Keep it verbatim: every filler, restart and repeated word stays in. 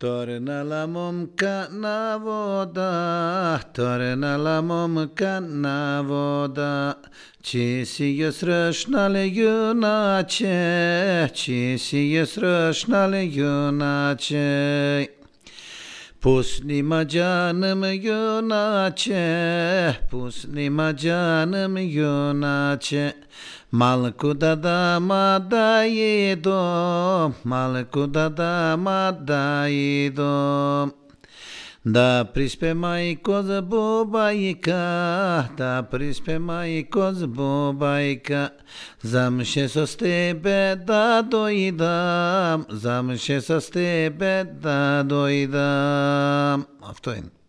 Torna la momka na voda, torna la momka na voda. Ci si je sršnale junače, ci si je sršnale junače. Pusnima canım yunaçe, pusnima canım yunaçe. Malkuda dama dayidom, malkuda dama dayidom. Da prispe majko z bubajka, da prispe majko z bubajka. Zamše so s tebe da dojdam, zamše so s tebe da dojdam. A to je